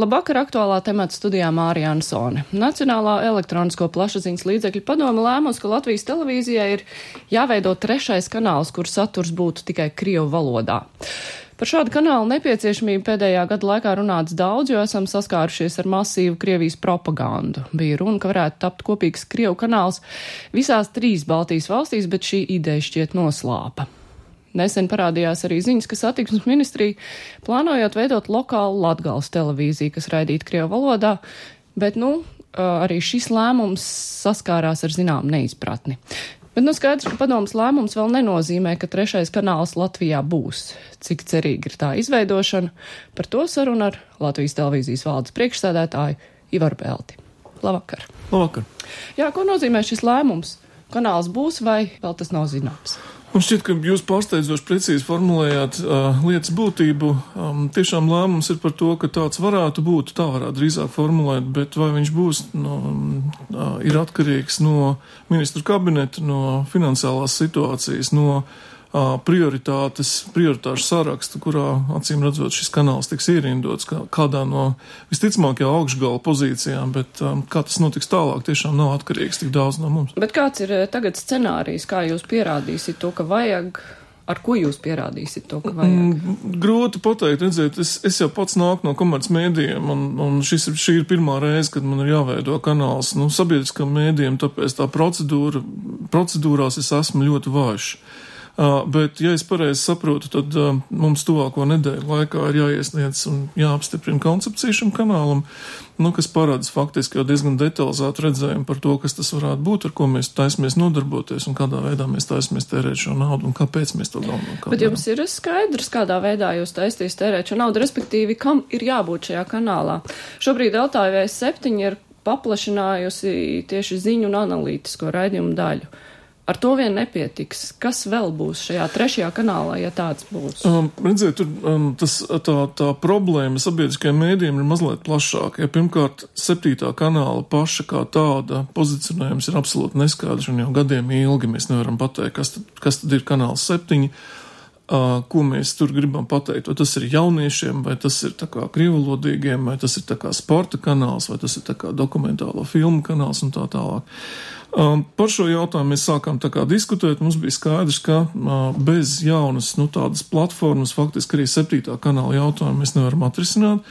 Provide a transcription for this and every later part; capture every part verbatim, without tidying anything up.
Labvakar, aktuālā temata studijā Mārija Ansone. Nacionālā elektronisko plašsaziņas līdzekļu padome lēmusi, ka Latvijas televīzijai ir jāveido trešais kanāls, kur saturs būtu tikai krievu valodā. Par šādu kanālu nepieciešamību pēdējā gada laikā runāts daudz, jo esam saskārušies ar masīvu Krievijas propagandu. Bija runa, ka varētu tapt kopīgs krievu kanāls visās trīs Baltijas valstīs, bet šī ideja šķiet noslāpa. Nesen parādījās arī ziņas, ka satiksmes ministrija plānojot veidot lokālu Latgales televīziju, kas raidītu krievu valodā, bet, nu, arī šis lēmums saskārās ar zinām neizpratni. Bet nu skaidrs, ka padomas lēmums vēl nenozīmē, ka trešais kanāls Latvijā būs. Cik cerīgi ir tā izveidošana, par to sarunu ar Latvijas televīzijas valdes priekšsēdētāju Ivaru Belti. Labvakar. Labvakar. Jā, ko nozīmē šis lēmums? Kanāls būs vai vēl tas nav zināms? Man šķiet, ka jūs pārsteidzoši precīzi formulējāt uh, lietas būtību. Um, tiešām lēmums ir par to, ka tāds varētu būt, tā varētu drīzāk formulēt, bet vai viņš būs, no, uh, ir atkarīgs no ministru kabineta, no finansiālās situācijas, no uh, prioritātes, prioritāšu saraksta, kurā, acīm redzot, šis kanāls tiks ierindots kā, kādā no visticamākajā augšgala pozīcijām, bet um, kā tas notiks tālāk, tiešām nav atkarīgs tik daudz no mums. Bet kāds ir tagad scenārijs, kā jūs pierādīsiet to, ka vajag, ar ko jūs pierādīsiet to, ka vajag? Mm, grūti pateikt, redziet, es, es jau pats nāku no komercmēdījiem, un, un šis, šī ir pirmā reize, kad man ir jāveido kanāls, nu, sabiedriskam mēdījiem, tāpēc tā procedūra, procedūrās es esmu ļoti vājš. Uh, bet, ja es pareizi saprotu, tad uh, mums tuvāko nedēļu laikā ir jāiesniedz un jāapstiprina koncepcija šim kanālam, nu, kas parāds faktiski jau diezgan detalizētu redzējumu par to, kas tas varētu būt, ar ko mēs taisamies nodarboties un kādā veidā mēs taisamies tērēt šo naudu un kāpēc mēs to galvenokārt. Bet jums ir skaidrs, kādā veidā jūs taisties tērēt šo naudu, respektīvi, kam ir jābūt šajā kanālā? Šobrīd L T V septiņi ir paplašinājusi tieši ziņu un analītisko raidījumu daļu. Ar to vien nepietiks. Kas vēl būs šajā trešajā kanālā, ja tāds būs? Um, redziet, tur um, tas, tā, tā problēma sabiedriskajiem mēdījiem ir mazliet plašāka. Ja pirmkārt, septītā kanāla paša kā tāda pozicionējums ir absolūti neskaidrs un jau gadiem ilgi mēs nevaram pateikt, kas tad, kas tad ir kanāls septiņi, uh, ko mēs tur gribam pateikt. Vai tas ir jauniešiem, vai tas ir tā kā krievulodīgiem, vai tas ir tā kā sporta kanāls, vai tas ir tā kā dokumentālo filmu kanāls un tā tālāk. Um, par šo jautājumu mēs sākām tā kā diskutēt, mums bija skaidrs, ka uh, bez jaunas, nu, tādas platformas, faktiski arī septītā kanāla jautājumu mēs nevaram atrisināt,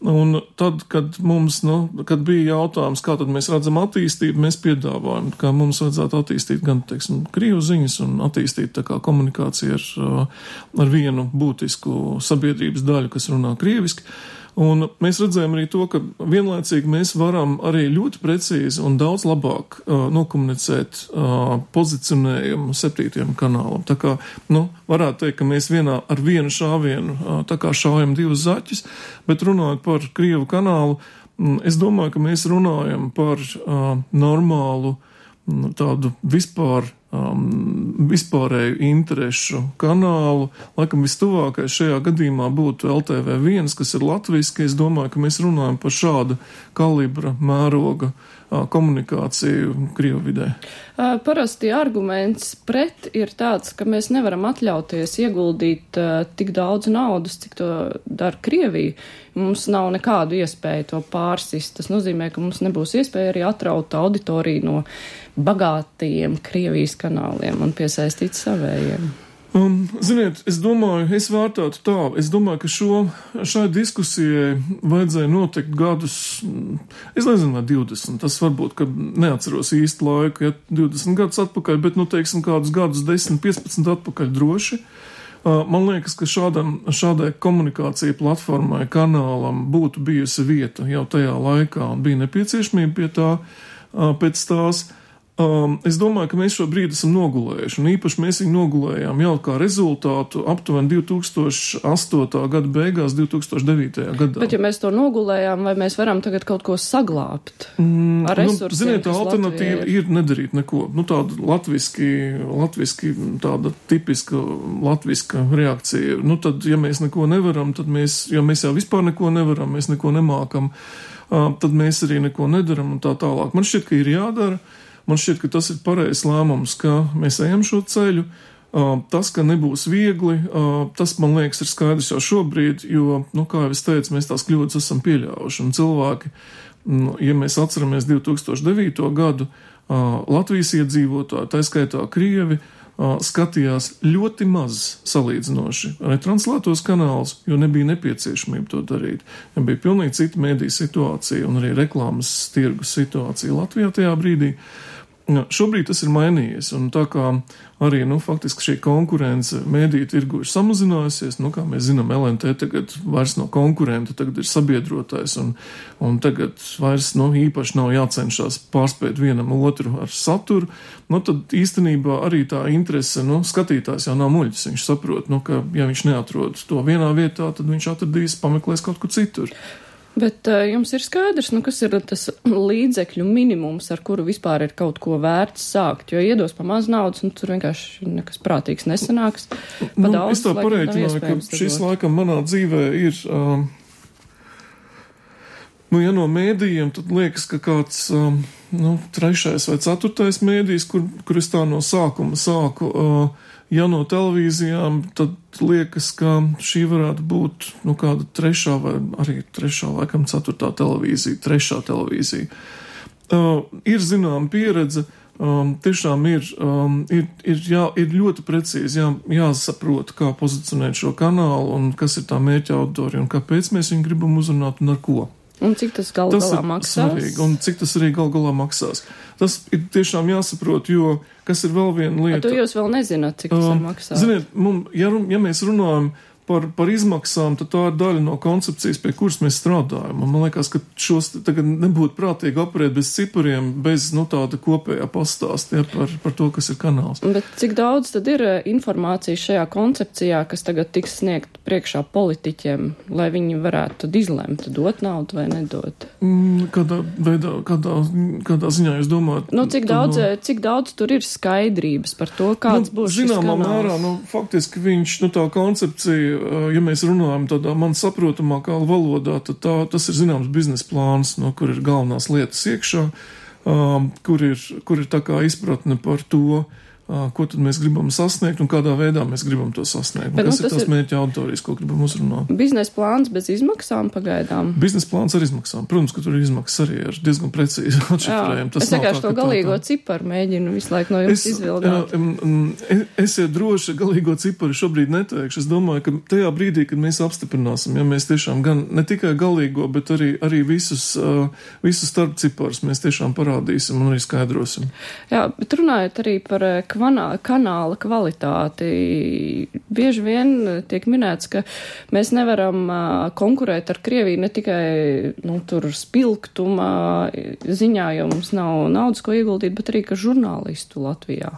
un tad, kad mums, nu, kad bija jautājums, kā tad mēs redzam attīstību, mēs piedāvājam, ka mums vajadzētu attīstīt gan, teiksim, krievu ziņas un attīstīt tā kā komunikāciju ar, uh, ar vienu būtisku sabiedrības daļu, kas runā krieviski. Un mēs redzējām arī to, ka vienlaicīgi mēs varam arī ļoti precīzi un daudz labāk uh, nokomunicēt uh, pozicionējumu septītajam kanālam. Tā kā, nu, varētu teikt, ka mēs vienā ar vienu šāvienu uh, tā kā šaujam divus zaķus, bet runājot par Krievu kanālu, mm, es domāju, ka mēs runājam par uh, normālu mm, tādu vispār Um, vispārēju interešu kanālu. Laikam vistuvākais šajā gadījumā būtu L T V viens, kas ir latviski. Es domāju, ka mēs runājam par šādu kalibra mēroga uh, komunikāciju Krievu vidē. Uh, parasti arguments pret ir tāds, ka mēs nevaram atļauties ieguldīt uh, tik daudz naudas, cik to dara Krievija. Mums nav nekādu iespēju to pārsist. Tas nozīmē, ka mums nebūs iespēja arī atraut auditoriju no bagātajiem Krievijas kanāliem un piesaistīt savējiem. Um, ziniet, es domāju, es vērtētu tā, es domāju, ka šo, šai diskusijai vajadzēja notikt gadus, es nezinu, vai divdesmit, tas varbūt, ka neatceros īsti laiku, ja divdesmit gadus atpakaļ, bet, nu, teiksim, kādus gadus desmit, piecpadsmit atpakaļ droši. Man liekas, ka šādam, šādai komunikācija platformai, kanālam būtu bijusi vieta jau tajā laikā un bija nepieciešamība pie tā, pēc tās. Um, es domāju, ka mēs šo brīdi esam nogulējuši, un īpaši mēs viņu nogulējām jau kā rezultātu aptuveni divi tūkstoši astotā gada beigās, divi tūkstoši devītajā gadā. Bet ja mēs to nogulējām, vai mēs varam tagad kaut ko saglābt mm, ar resursiem? Nu, ziniet, tā alternatīva ir. ir nedarīt neko. Nu, tāda latviski, latviski, tāda tipiska latviska reakcija. Nu, tad, ja mēs neko nevaram, tad mēs, ja mēs jau vispār neko nevaram, mēs neko nemākam, uh, tad mēs arī neko nedaram un tā tālāk. Man šķiet, ka ir jādara. Man šķiet, ka tas ir pareizs lēmums, ka mēs ejam šo ceļu. Tas, ka nebūs viegli, tas, man liekas, ir skaidrs jau šobrīd, jo, nu, kā jau es teicu, mēs tās kļūdas esam pieļāvuši. Un cilvēki, nu, ja mēs atceramies divi tūkstoši devīto gadu, Latvijas iedzīvotāji, tā skaitā Krievi, skatījās ļoti maz salīdzinoši retranslētos kanālus, jo nebija nepieciešamība to darīt. Ja bija pilnīgi cita mēdī situācija un arī reklāmas tirgus situācija Latvijā tajā brīdī. Šobrīd tas ir mainījies, un tā kā arī, nu, faktiski šī konkurence mēdīju tirgu ir samazinājusies, nu, kā mēs zinām, L N T tagad vairs no konkurenta, tagad ir sabiedrotais, un, un tagad vairs, nu, īpaši nav jācenšas pārspēt vienam otru ar saturu, nu, tad īstenībā arī tā interese, nu, skatītājs jau nav muļķis, viņš saprot, nu, ka, ja viņš neatrod to vienā vietā, tad viņš atradīs, pameklēs kaut kur citur. Bet uh, jums ir skaidrs, nu, kas ir tas līdzekļu minimums, ar kuru vispār ir kaut ko vērts sākt, jo iedos pa maz naudas, un tur vienkārši nekas prātīgs nesanāks. Pa nu, daudz, es tā pareitināju, ka šis laikam manā dzīvē ir, um, nu, ja no mēdījiem, tad liekas, ka kāds, um, nu, trešais vai ceturtais mēdījis, kur, kur es tā no sākuma sāku, uh, ja no televīzijām, tad liekas, ka šī varētu būt, nu, kāda trešā vai arī trešā, laikam, ceturtā televīzija, trešā televīzija. Uh, ir zinām pieredze, um, tiešām ir, um, ir, ir, jā, ir ļoti precīzi jā, jāsaprot, kā pozicionēt šo kanālu un kas ir tā mērķa auditorija un kāpēc mēs viņu gribam uzrunāt un ar ko. Un cik tas gal galā maksās? Svarīgi, un cik tas arī gal galā maksās. Tas ir tiešām jāsaprot, jo kas ir vēl viena lieta. A, tu jūs vēl nezināt, cik tas um, ir maksāt. Ziniet, mum, ja, ja mēs runājam par, par izmaksām, tad tā ir daļa no koncepcijas, pie kuras mēs strādājam. Un man liekas, ka šos tagad nebūtu prātīgi operēt bez cipariem, bez, nu, tāda kopējā pastāstā par, par to, kas ir kanāls. Bet cik daudz tad ir informācijas šajā koncepcijā, kas tagad tiks sniegt priekšā politiķiem, lai viņi varētu tad izlemt, dot naudu vai nedot? Mm, kādā veidā, kādā, kādā ziņā jūs domājat? Nu, cik daudz, no... cik daudz tur ir skaidrības par to, kāds nu, būs šis kanāls? Zināmā mērā, nu, faktiski viņš, nu, tā koncepcija, ja mēs runājam tādā man saprotamākā valodā, tad tā, tas ir zināms biznesa plāns, no kur ir galvenās lietas iekšā, um, kur ir, kur ir tā kā izpratne par to, uh, ko tad mēs gribam sasniegt un kādā veidā mēs gribam to sasniegt. Bet, kas nu, ir tās ir... mērķa auditorijas, ko gribam uzrunāt? Biznesa plāns bez izmaksām pagaidām? Biznesa plāns ar izmaksām. Protams, ka tur ir izmaksas arī ar diezgan precīzi atšifrējumi. Es vienkārši to galīgo tā... ciparu mēģinu visu laiku no jums es, izvilgāt. Jā, esiet droši, galīgo ciparu šobrīd neteikšu. Es domāju, ka tajā brīdī, kad mēs apstiprināsim, ja mēs tiešām gan ne tikai galīgo, bet arī, arī visus, uh, visus starp ciparus mēs tiešām parādīsim un arī skaidrosim. Jā, bet runājot arī par kvanā, kanāla kvalitāti, bieži vien tiek minēts, ka mēs nevaram uh, konkurēt ar Krieviju ne tikai, nu, tur spilgtuma ziņā, jo mums nav naudas, ko ieguldīt, bet arī, ka žurnālistu Latvijā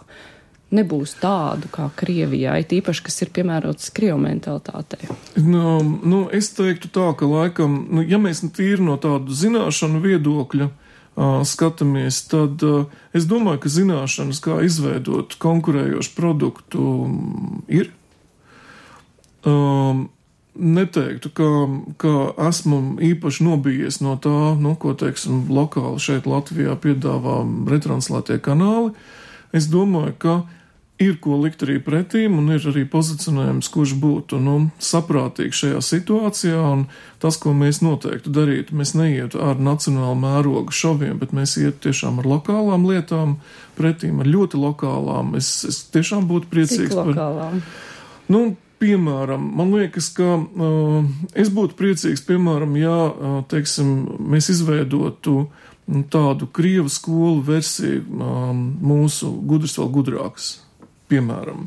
nebūs tādu kā Krievijā, it īpaši, kas ir piemērots Krievu mentalitātei. Nu, nu, es teiktu tā, ka laikam, nu, ja mēs tīri no tādu zināšanu viedokļa uh, skatāmies, tad uh, es domāju, ka zināšanas, kā izveidot konkurējošu produktu, um, ir. Um, Neteiktu, ka, ka esmu īpaši nobijies no tā, nu, ko, teiksim, lokāli šeit Latvijā piedāvā retranslētie kanāli. Es domāju, ka ir ko likt arī pretīm un ir arī pozicionējums, kurš būtu, nu, saprātīgs šajā situācijā, un tas, ko mēs noteikti darītu, mēs neietu ar nacionālu mērogu šoviem, bet mēs ietu tiešām ar lokālām lietām pretīm, ar ļoti lokālām. Es, es tiešām būtu priecīgs. Cik lokālām? Par, nu, piemēram, man liekas, ka uh, es būtu priecīgs, piemēram, ja, uh, teiksim, mēs izveidotu tādu krievu skolu versiju um, mūsu gudrs vēl gudrāks, piemēram,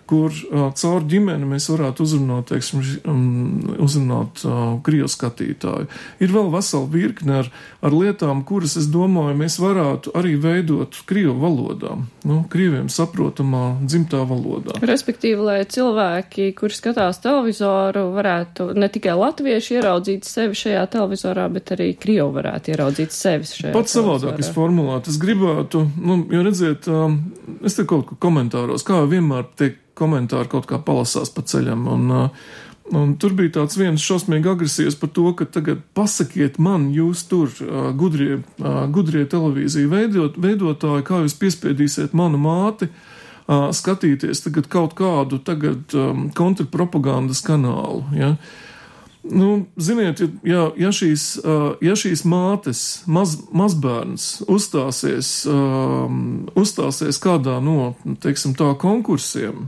kur uh, caur ģimeni mēs varētu uzrunāt, teiksim, um, uzrunāt uh, krievu skatītāju. Ir vēl vesela virkne ar, ar lietām, kuras, es domāju, mēs varētu arī veidot krievu valodā, nu, krieviem saprotamā dzimtā valodā. Respektīvi, lai cilvēki, kuri skatās televizoru, varētu ne tikai latvieši ieraudzīt sevi šajā televizorā, bet arī krievu varētu ieraudzīt sevi šajā Pats televizorā. Savādāk es formulētu. Es gribētu, nu, jo redziet, um, es te kaut ko komentāros, kā vienmēr tiek komentāri kaut kā palasās pa ceļam, un, un tur bija tāds viens šausmīgi agresīvs par to, ka tagad pasakiet man, jūs tur gudrie, gudrie televīziju veidot, veidotāji, kā jūs piespiedīsiet manu māti uh, skatīties tagad kaut kādu tagad um, kontrpropagandas kanālu, ja. Nu, ziniet, ja, ja, šīs, uh, ja šīs mātes, maz, mazbērns uzstāsies, um, uzstāsies kādā no, teiksim tā, konkursiem,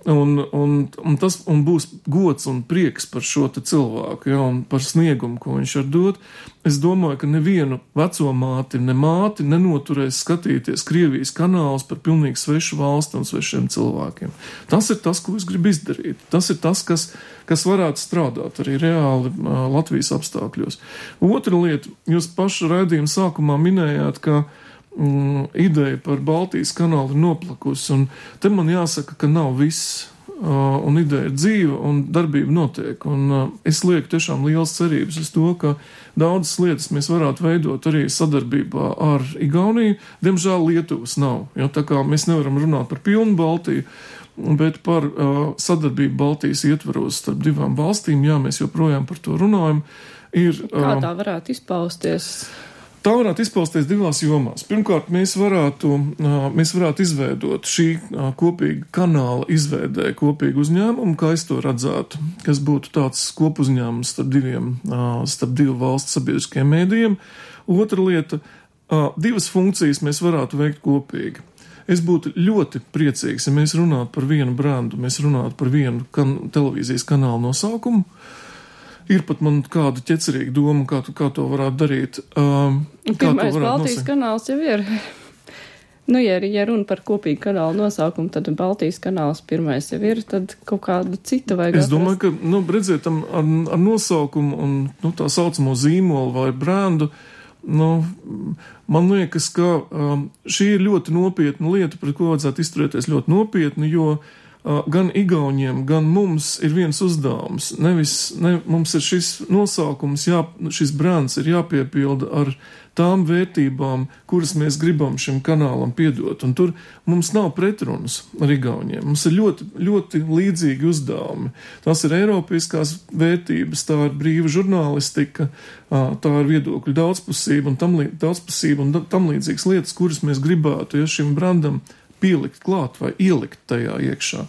Un, un, un tas un būs gods un prieks par šo te cilvēku, ja, un par sniegumu, ko viņš var dot. Es domāju, ka nevienu veco māti, ne māti nenoturēs skatīties Krievijas kanālus par pilnīgi svešu valsti un svešiem cilvēkiem. Tas ir tas, ko es gribu izdarīt. Tas ir tas, kas, kas varētu strādāt arī reāli uh, Latvijas apstākļos. Otra lieta, jūs pašu raidījuma sākumā minējāt, ka Mm, ideja par Baltijas kanālu ir noplakusi, un te man jāsaka, ka nav viss, uh, un ideja ir dzīva, un darbība notiek, un uh, es lieku tiešām liels cerības uz to, ka daudzas lietas mēs varētu veidot arī sadarbībā ar Igauniju. Diemžēl Lietuvas nav, jo tā kā mēs nevaram runāt par pilnu Baltiju, bet par uh, sadarbību Baltijas ietvaros starp divām valstīm, jā, mēs joprojām par to runājam. Ir, uh, Kā tā varētu izpausties? Tā varētu izpausties divās jomās. Pirmkārt, mēs varētu, mēs varētu izveidot šī kopīga kanāla izveidē kopīgu uzņēmumu, kā es to redzētu, kas būtu tāds kopuzņēmums starp diviem, starp divu valstu sabiedriskajiem mēdījiem. Otra lieta, divas funkcijas mēs varētu veikt kopīgi. Es būtu ļoti priecīgs, ja mēs runātu par vienu brandu, mēs runātu par vienu kan- televīzijas kanālu nosaukumu. Ir pat man kāda ķecerīga doma, kā, tu, kā to varētu darīt. Um, Pirmais Baltijas nosaukt? Kanāls jau ir. Nu, ja, ja runa par kopīgu kanālu nosaukumu, tad Baltijas kanāls pirmais jau ir, tad kaut kādu citu vajag Es domāju, atrast. ka, nu, redziet, ar, ar nosaukumu un, nu, tā saucamo zīmolu vai brandu, nu, man liekas, ka um, šī ir ļoti nopietna lieta, par ko vajadzētu izturēties ļoti nopietni, jo gan Igauniem, gan mums ir viens uzdevums. Nevis, ne, mums ir šis nosaukums, jā, šis brands ir jāpiepilda ar tām vērtībām, kuras mēs gribam šim kanālam piedot. Un tur mums nav pretrunas ar Igauniem. Mums ir ļoti, ļoti līdzīgi uzdevumi. Tās ir eiropiskās vērtības, tā ir brīva žurnālistika, tā ir viedokļu daudzpusība un tam, daudzpusība un tam līdzīgas lietas, kuras mēs gribētu, ja šim brandam pielikt klāt vai ielikt tajā iekšā.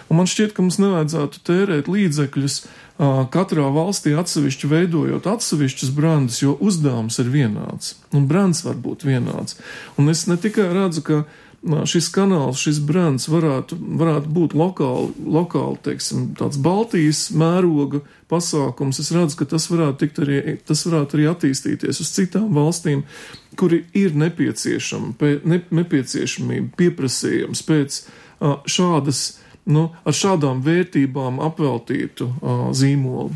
Un man šķiet, ka mums nevajadzētu tērēt līdzekļus uh, katrā valstī atsevišķi veidojot atsevišķus brandus, jo uzdevums ir vienāds. Un brands var būt vienāds. Un es ne tikai redzu, ka uh, šis kanāls, šis brands varētu, varētu būt lokāli, lokāli, teiksim, tāds Baltijas mēroga pasākums. Es redzu, ka tas varētu tikt arī, tas varētu arī attīstīties uz citām valstīm, kuri ir nepieciešami, ne, nepieciešamība, pieprasījums pēc uh, šādas, nu, ar šādām vērtībām apveltītu uh, zīmolu.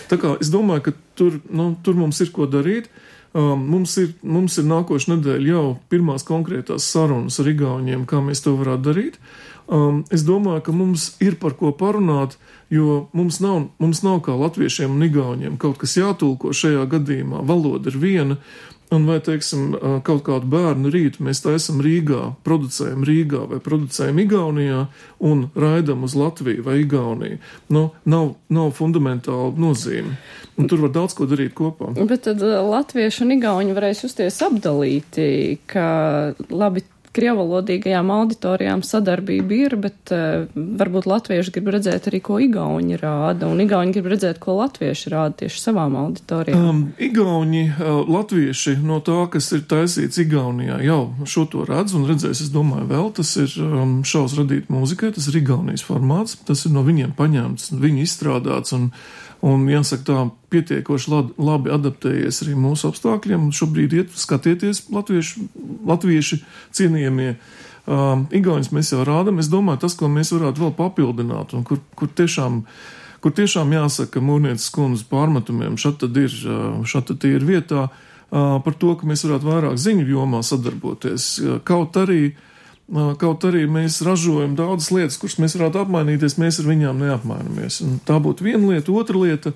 Tā kā es domāju, ka tur, nu, tur mums ir ko darīt. Um, mums ir, mums ir nākošu nedēļu jau pirmās konkrētās sarunas ar Igauniem, kā mēs to varētu darīt. Um, es domāju, ka mums ir par ko parunāt, jo mums nav, mums nav kā latviešiem un Igauniem kaut kas jātulko šajā gadījumā. Valoda ir viena. Un vai, teiksim, kaut kādu bērnu rītu mēs taisam Rīgā, producējam Rīgā vai producējam Igaunijā un raidam uz Latviju vai Igauniju. Nu, nav, nav fundamentāla nozīme. Un tur var daudz ko darīt kopā. Bet tad latvieši un igauņi varēs justies apdalīti, ka labi krievalodīgajām auditorijām sadarbība ir, bet uh, varbūt latvieši grib redzēt arī, ko igauņi rāda, un igauņi grib redzēt, ko latvieši rāda tieši savām auditorijām. Um, igauņi, uh, latvieši no tā, kas ir taisīts Igaunijā, jau šo to redz un redzēs, es domāju, vēl tas ir um, šaus radīt mūzikai, tas ir Igaunijas formāts, tas ir no viņiem paņemts, viņi izstrādāts un Un, jāsaka, tā pietiekoši labi adaptējies arī mūsu apstākļiem. Šobrīd iet skatieties latvieši, latvieši cienījamie. Um, Igauņus mēs jau rādam. Es domāju, tas, ko mēs varētu vēl papildināt, un kur, kur, tiešām, kur tiešām jāsaka Mūrnieces kundzes pārmetumiem, šat tad ir, šat tad ir vietā, uh, par to, ka mēs varētu vairāk ziņu jomā sadarboties. Kaut arī Kaut arī mēs ražojam daudzas lietas, kuras mēs varētu apmainīties, mēs ar viņām neapmainamies. Un tā būtu viena lieta. Otra lieta,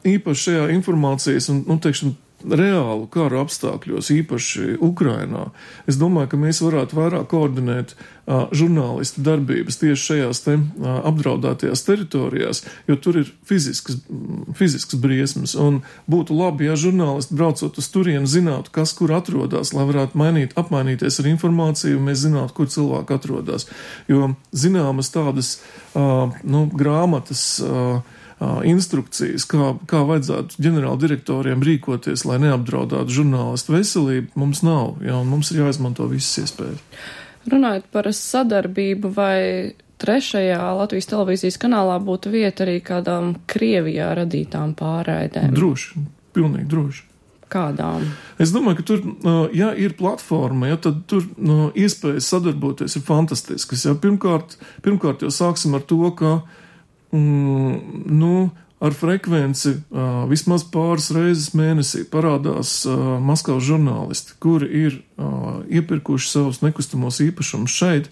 īpaši šajā informācijas un, nu, teiksim, reālu kara apstākļos, īpaši Ukrainā, es domāju, ka mēs varētu vairāk koordinēt uh, žurnālistu darbības tieši šajās te uh, apdraudētajās teritorijās, jo tur ir fizisks, fizisks briesmas, un būtu labi, ja žurnālisti braucot uz turienu zinātu, kas kur atrodas, lai varētu mainīt, apmainīties ar informāciju, un mēs zinātu, kur cilvēki atrodas. Jo zināmas tādas uh, nu, grāmatas, uh, instrukcijas, kā, kā vajadzētu ģenerāla direktoriem rīkoties, lai neapdraudātu žurnālistu veselību, mums nav, jā, un mums ir jāizmanto visas iespējas. Runājot par sadarbību, vai trešajā Latvijas televīzijas kanālā būtu vieta arī kādām Krievijā radītām pārraidēm? Droši, pilnīgi droši. Kādām? Es domāju, ka tur, ja ir platforma, ja, tad tur no, iespējas sadarboties ir fantastiskas. Ja. Pirmkārt, pirmkārt jau sāksim ar to, ka Mm, nu, ar frekvenci uh, vismaz pāris reizes mēnesī parādās uh, Maskavas žurnālisti, kuri ir uh, iepirkuši savus nekustamos īpašumus šeit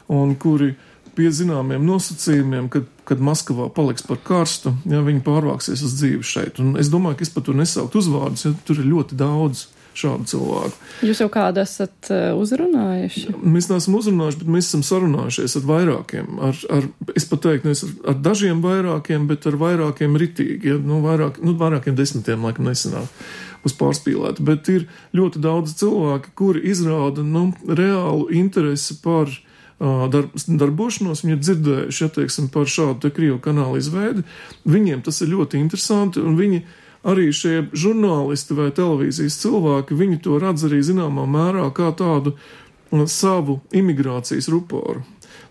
un kuri pie zināmiem nosacījumiem, kad, kad Maskavā paliks par karstu, ja viņi pārvāksies uz dzīvi šeit. Un es domāju, ka es pat tur nesaukt uzvārdus, ja tur ir ļoti daudz šādu cilvēku. Jūs jau kādu esat uzrunājuši? Mēs neesam uzrunājuši, bet mēs esam sarunājušies ar vairākiem. Ar, ar, es pat teiktu, nevis ar, ar dažiem vairākiem, bet ar vairākiem ritīgi. Ja? Nu, vairāk, nu, vairākiem desmitiem, laikam, nesanāk uz pārspīlētu. Bet ir ļoti daudz cilvēki, kuri izrāda nu, reālu interesi par uh, dar, darbošanos. Viņi ir dzirdējuši, ja teiksim, par šādu te Krievu kanālu izveidi. Viņiem tas ir ļoti interesanti, un viņi arī šie žurnālisti vai televīzijas cilvēki, viņi to redz arī zināmā mērā kā tādu savu imigrācijas ruporu.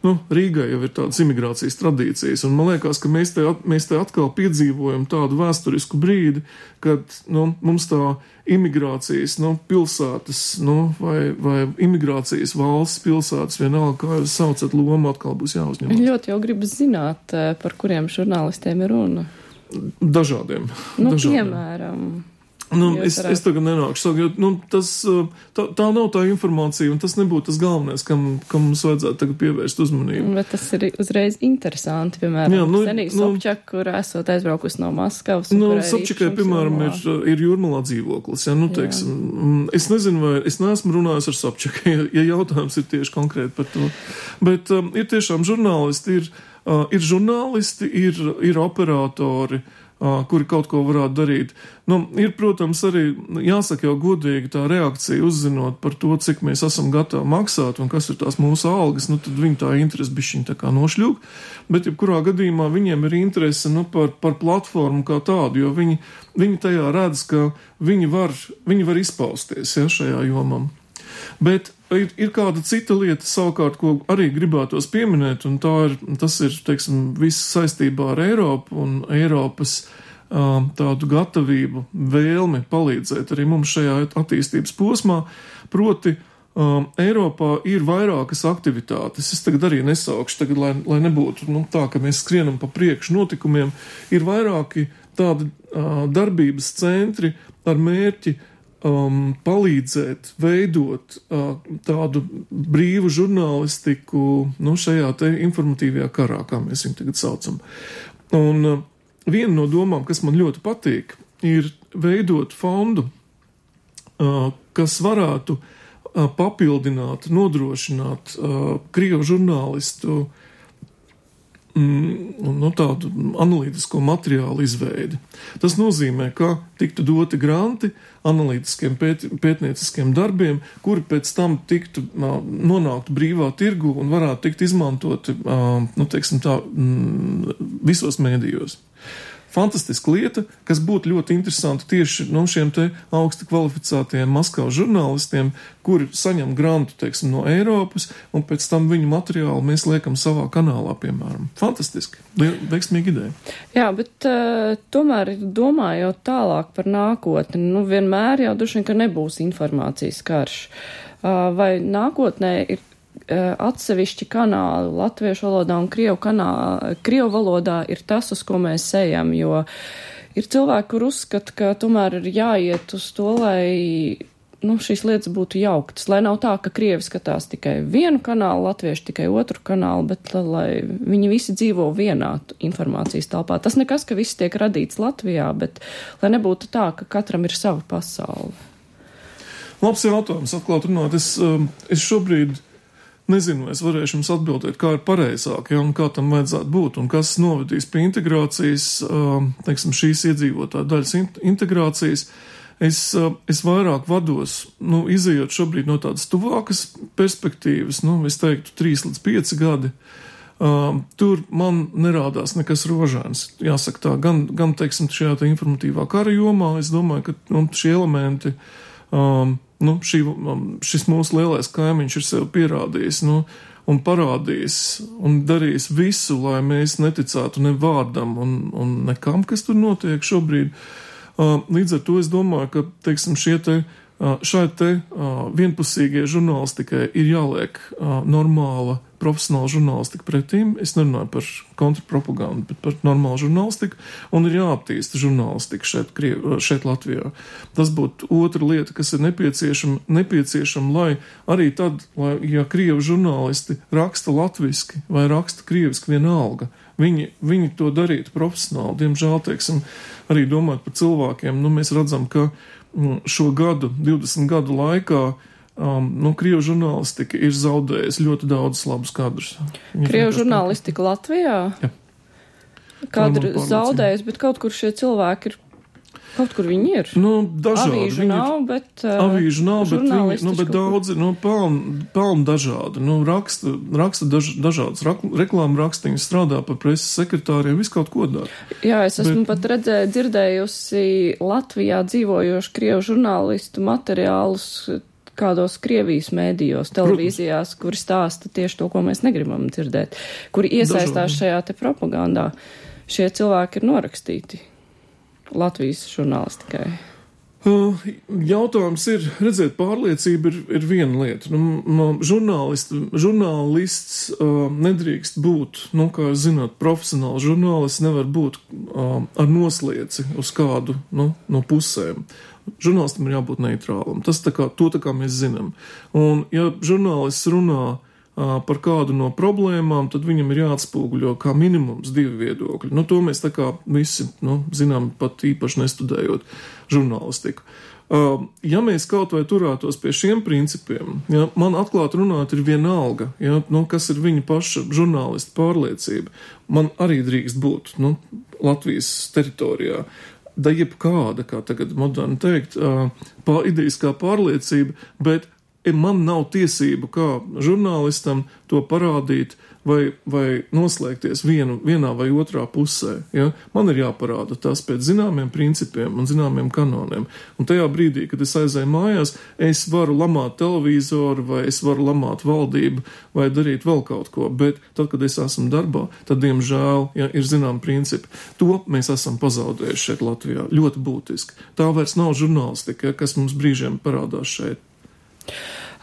Nu, Rīgai jau ir tādas imigrācijas tradīcijas, un man liekas, ka mēs te, mēs te atkal piedzīvojam tādu vēsturisku brīdi, kad nu, mums tā imigrācijas nu, pilsētas nu, vai, vai imigrācijas valsts pilsētas vienalga, kā jūs saucat, loma atkal būs jāuzņem. Ļoti jau gribas zināt, par kuriem žurnālistiem ir runa. Dažādiem. Nu, dažādiem. Piemēram. Nu, es, es tagad nenāku saka, jo nu, tas, tā, tā nav tā informācija, un tas nebūtu tas galvenais, kam, kam mums vajadzētu tagad pievērst uzmanību. Bet tas ir uzreiz interesanti, piemēram, jā, nu, Senija nu, Sobčak, kur esot aizbraukusi no Maskavas. Nu, Sobčakai, piemēram, ir, ir Jūrmalā dzīvoklis. Ja, nu, teiksim, es nezinu, vai es neesmu runājis ar Sobčakai, ja, ja jautājums ir tieši konkrēti par to. Bet um, ir tiešām žurnālisti, ir, uh, ir žurnālisti, ir, ir operatori, Uh, kuri kaut ko varētu darīt. Nu, ir, protams, arī jāsaka jau godīgi tā reakcija uzzinot par to, cik mēs esam gatavi maksāt un kas ir tās mūsu algas, nu tad viņi tā interesi bišķiņ tā kā nošļūk, bet jebkurā gadījumā viņiem ir interese nu, par, par platformu kā tādu, jo viņi, viņi tajā redz, ka viņi var, viņi var izpausties ja, šajā jomam. Bet ir, ir kāda cita lieta savukārt, ko arī gribētos pieminēt, un tā ir, tas ir, teiksim, viss saistībā ar Eiropu un Eiropas uh, tādu gatavību, vēlmi palīdzēt arī mums šajā attīstības posmā, proti um, Eiropā ir vairākas aktivitātes. Es tagad arī nesaukšu, tagad, lai, lai nebūtu nu, tā, ka mēs skrienam pa priekšu notikumiem, ir vairāki tādi uh, darbības centri ar mērķi Um, palīdzēt veidot uh, tādu brīvu žurnālistiku nu, šajā te informatīvajā karā, kā mēs viņu tagad saucam. Un uh, viena no domām, kas man ļoti patīk, ir veidot fondu, uh, kas varētu uh, papildināt, nodrošināt uh, Krievu žurnālistu no tādu analītisko materiālu izveidi. Tas nozīmē, ka tiktu doti granti analītiskiem pēt, pētnieciskiem darbiem, kuri pēc tam tiktu nonāktu brīvā tirgu un varētu tikt izmantoti, nu, teiksim tā, visos mēdījos. Fantastiska lieta, kas būtu ļoti interesanti tieši no šiem te augsti kvalificētajiem Maskavas žurnālistiem, kuri saņem grantu, teiksim, no Eiropas, un pēc tam viņu materiālu mēs liekam savā kanālā, piemēram. Fantastiski. Veiksmīga ideja. Jā, bet uh, tomēr domājot tālāk par nākotni, nu vienmēr jau duši, ka nebūs informācijas karš. Uh, vai nākotnē ir atsevišķi kanāli latviešu valodā un krievu, kanāli, krievu valodā ir tas, uz ko mēs ejam, jo ir cilvēki, kur uzskata, ka tomēr ir jāiet uz to, lai nu, šīs lietas būtu jauktas, lai nav tā, ka Krievi skatās tikai vienu kanālu, latvieši tikai otru kanālu, bet lai viņi visi dzīvo vienā informācijas telpā. Tas nekas, ka viss tiek radīts Latvijā, bet lai nebūtu tā, ka katram ir sava pasaule. Labs jautājums, atklāt runāt. Es, es šobrīd nezinu, es varēšu jums atbildēt, kā ir pareizāk, ja, un kā tam vajadzētu būt, un kas novedīs pie integrācijas, teiksim, šīs iedzīvotāju daļas integrācijas. Es, es vairāk vados, nu, izejot šobrīd no tādas tuvākas perspektīvas, nu, es teiktu, trīs līdz pieci gadi. Uh, tur man nerādās nekas rožāns, jāsaka tā, gan, gan teiksim, šajā tā informatīvā kara jomā, es domāju, ka nu, šie elementi, um, nu, šī, šis mūsu lielais kaimiņš ir sev pierādījis, nu, un parādījis, un darījis visu, lai mēs neticētu ne vārdam un, un nekam, kas tur notiek šobrīd. Līdz ar to es domāju, ka, teiksim, šie te, šai te vienpusīgie žurnālistikai ir jāliek normāla, profesionāla žurnālistika pretīm. Es nerunāju par kontrpropagandu, bet par normālu žurnālistiku, un ir jāaptīsta žurnālistika šeit, šeit Latvijā. Tas būtu otra lieta, kas ir nepieciešama, nepieciešama, lai arī tad, lai, ja Krievu žurnālisti raksta latviski vai raksta krieviski vienalga, Viņi, viņi to darītu profesionāli. Diemžēl, teiksim, arī domāt par cilvēkiem, nu, mēs redzam, ka šo gadu, divdesmit gadu laikā, um, nu, Krievu žurnālistika ir zaudējusi ļoti daudz labus kadrus. Krievu žurnālistika Latvijā? Jā. Kadri zaudējusi, bet kaut kur šie cilvēki ir. Kaut kur viņi ir. Nu, dažādi. Avīžu viņi nav, bet... Uh, avīžu nav, bet viņi, nu, bet daudzi, nu, pelni, pelni dažādi. Nu, raksta, raksta daž, dažādas reklāmu rakstiņas, strādā par preses sekretāriem, visu kaut ko dara. Jā, es esmu bet, pat redzēju, dzirdējusi Latvijā dzīvojošu Krievu žurnālistu materiālus kādos Krievijas mēdījos, televīzijās, Protams. Kuri stāsta tieši to, ko mēs negribam dzirdēt, kuri iesaistās dažādi. Šajā te propagandā. Šie cilvēki ir norakstīti Latvijas žurnālistikai. Uh, jautājums ir, redzēt, pārliecība ir, ir viena lieta. Nu, no žurnālists, žurnālists uh, nedrīkst būt, nu, kā jūs zināt, profesionāls žurnālists nevar būt uh, ar noslieci uz kādu, nu, no pusēm. Žurnālistam ir jābūt neitrālam. Tas tā kā, to tā kā mēs zinām. Un, ja žurnālists runā par kādu no problēmām, tad viņam ir jāatspūguļo kā minimums divi viedokļi. Nu, to mēs tā kā visi, nu, zinām, pat īpaši nestudējot žurnālistiku. Ja mēs kaut vai turētos pie šiem principiem, ja, man atklāt runāt ir vienalga, ja, nu, kas ir viņa paša žurnālista pārliecība, man arī drīkst būt, nu, Latvijas teritorijā. Da jebkāda, kā tagad moderni teikt, pār, idejiskā pārliecība, bet man nav tiesību kā žurnālistam to parādīt vai, vai noslēgties vienu, vienā vai otrā pusē. Ja? Man ir jāparāda tas pēc zināmiem principiem un zināmiem kanoniem. Un tajā brīdī, kad es aizēju mājās, es varu lamāt televizoru vai es varu lamāt valdību vai darīt vēl kaut ko. Bet tad, kad es esmu darbā, tad, diemžēl, ja, ir zinām principi. To mēs esam pazaudējuši šeit Latvijā. Ļoti būtiski. Tā vairs nav žurnālistika, ja, kas mums brīžiem parādās šeit.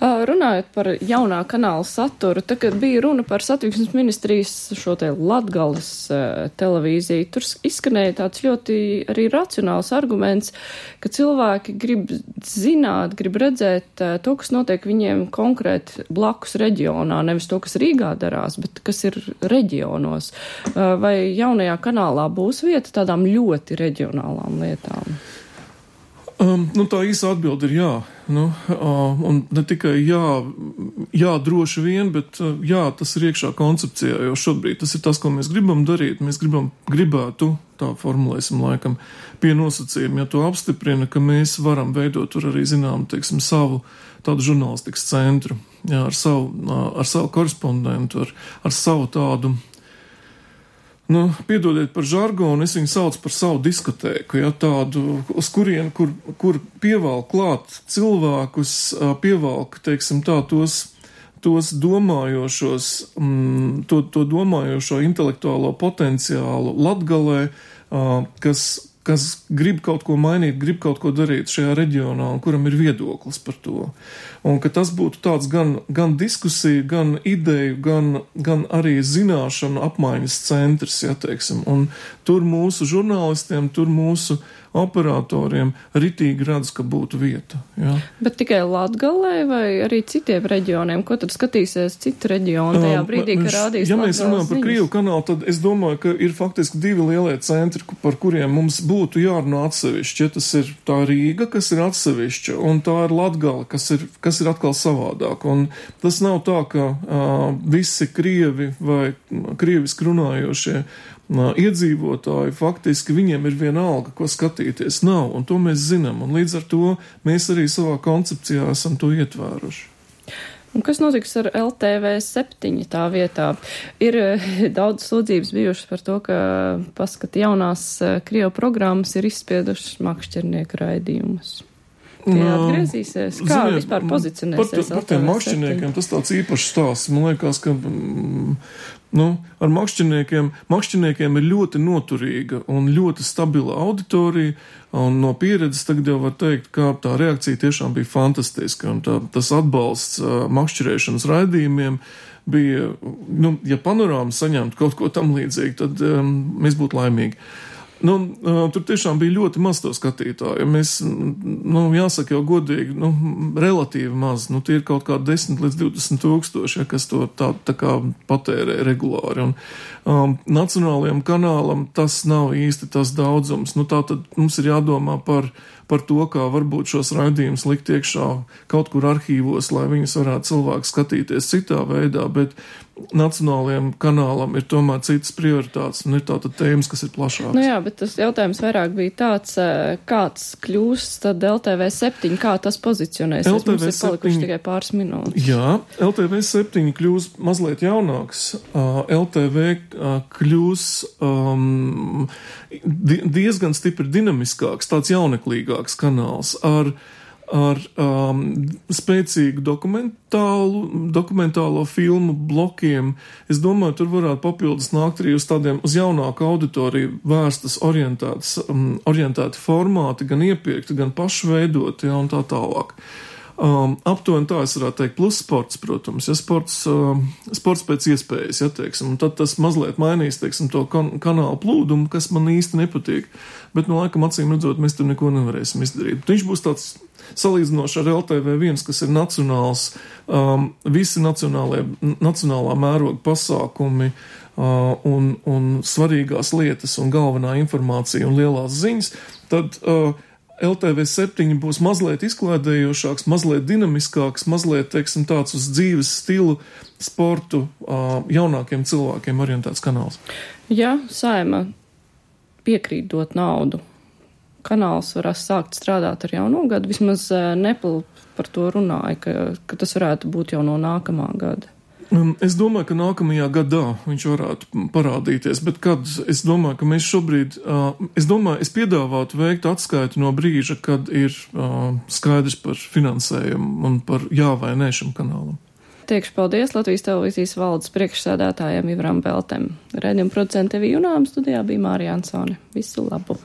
Runājot par jaunā kanāla saturu, tā, kad bija runa par satiksmes ministrijas šo te Latgales uh, televīziju, tur izskanēja tāds ļoti arī racionāls arguments, ka cilvēki grib zināt, grib redzēt uh, to, kas notiek viņiem konkrēti blakus reģionā, nevis to, kas Rīgā darās, bet kas ir reģionos. Uh, vai jaunajā kanālā būs vieta tādām ļoti reģionālām lietām? Um, nu, tā īsa atbilde ir jā. Nu, uh, un ne tikai jā, jā droši vien, bet uh, jā, tas ir iekšā koncepcijā, jo šobrīd tas ir tas, ko mēs gribam darīt. Mēs gribam, gribētu, tā formulēsim laikam, pie nosacījuma, ja to apstiprina, ka mēs varam veidot tur arī, zinām, teiksim, savu tādu žurnālistikas centru, jā, ar savu, uh, ar savu korespondentu, ar, ar savu tādu. Nu, piedodiet par žargonu, es viņu saucu par savu diskotēku, ja, tādu, uz kurien, kur, kur pievalk klāt cilvēkus, pievalk, teiksim tā, tos, tos domājošos, mm, to, to domājošo intelektuālo potenciālu Latgalē, kas, kas grib kaut ko mainīt, grib kaut ko darīt šajā reģionā un kuram ir viedoklis par to. Un ka tas būtu tāds gan, gan diskusija, gan ideju, gan, gan arī zināšanu apmaiņas centrs, ja teiksim. Un tur mūsu žurnālistiem, tur mūsu operatoriem ritīgi redz, ka būtu vieta. Jā. Bet tikai Latgalē vai arī citiem reģioniem? Ko tad skatīsies citu reģionu tajā brīdī, um, ka rādīs Ja mēs runājam par Krievu kanālu, tad es domāju, ka ir faktiski divi lielie centri, par kuriem mums būtu jārunā atsevišķi. Ja tas ir tā Rīga, kas ir atsevišķa, un tā ir Latgala, kas ir, kas ir atkal savādāk. Un tas nav tā, ka uh, visi Krievi vai krieviski runājošie uh, iedzīvotāji, faktiski viņiem ir viena alga, ko skatīties. Nav, un to mēs zinām, un līdz ar to mēs arī savā koncepcijā esam to ietvēruši. Un kas notiks ar L T V septiņi tā vietā? Ir daudz sūdzības bijušas par to, ka paskat jaunās Krievu programmas ir izspiedušas makšķernieku raidījumus. Tie atgriezīsies? Kā Ziniet, vispār pozicionēsies? Par, par tiem makšķerniekiem tas tāds īpašs stāsts. Man liekas, ka mm, nu, ar makšķerniekiem, makšķerniekiem ir ļoti noturīga un ļoti stabila auditorija, un no pieredzes tagad jau var teikt, ka tā reakcija tiešām bija fantastiska, un tā, tas atbalsts uh, makšķerēšanas raidījumiem bija, nu, ja panorāma saņemtu kaut ko tam līdzīgi, tad um, mēs būtu laimīgi. Nu, uh, tur tiešām bija ļoti maz to skatītāju. Mēs, nu, jāsaka jau godīgi, nu, relatīvi maz. Nu, tie ir kaut kā desmit līdz divdesmit tūkstoši, ja, kas to tā, tā kā patērē regulāri. Un um, nacionālajam kanālam tas nav īsti tas daudzums. Nu, tā tad mums ir jādomā par, par to, kā varbūt šos raidījumus likt iekšā kaut kur arhīvos, lai viņus varētu cilvēki skatīties citā veidā, bet nacionālajiem kanālam ir tomēr citas prioritātes un ir tātad tēmas, kas ir plašākas. Nu jā, bet tas jautājums vairāk bija tāds, kāds kļūs tad L T V septiņi, kā tas pozicionēsies? L T V mums ir palikuši tikai pāris minūtes. Jā, L T V septiņi kļūs mazliet jaunāks. Uh, L T V uh, kļūs um, diezgan stipri dinamiskāks, tāds jauneklīgāks kanāls ar ar um, spēcīgu dokumentālu, dokumentālo filmu blokiem. Es domāju, tur varētu papildus nākt arī uz tādiem, uz jaunāku auditoriju vērstas orientētas, um, orientēti formāti, gan iepirkti, gan pašveidoti, ja, un tā tālāk. Um, aptuveni tā es varētu teikt, plus sports, protams, ja sports, um, sports pēc iespējas, ja, teiksim, un tad tas mazliet mainīs, teiksim, to kan kanālu plūdumu, kas man īsti nepatīk, bet no laikam acīm redzot, mēs tur neko nevarēsim izdarīt. Viņš būs tāds salīdzinoši ar L T V viens, kas ir nacionāls, um, visi nacionālā mēroga pasākumi uh, un, un svarīgās lietas un galvenā informācija un lielās ziņas, tad uh, L T V septiņi būs mazliet izklaidējošāks, mazliet dinamiskāks, mazliet, teiksim, tāds uz dzīves stilu, sportu, uh, jaunākiem cilvēkiem orientēts kanāls. Ja Saeima piekrīt dot naudu, kanāls varēs sākt strādāt ar jauno gadu, vismaz Nepal par to runāja, ka, ka tas varētu būt jau no nākamā gada. Es domāju, ka nākamajā gadā viņš varētu parādīties, bet kad es domāju, ka mēs šobrīd, es domāju, es piedāvātu veikt atskaiti no brīža, kad ir skaidrs par finansējumu un par jā vai nē šim kanālam. Teikšu paldies Latvijas televīzijas valdes priekšsēdētājiem Ivaram Beltem. Raidījuma producente Evija Junām, studijā bija Mārija Ansone. Visu labu!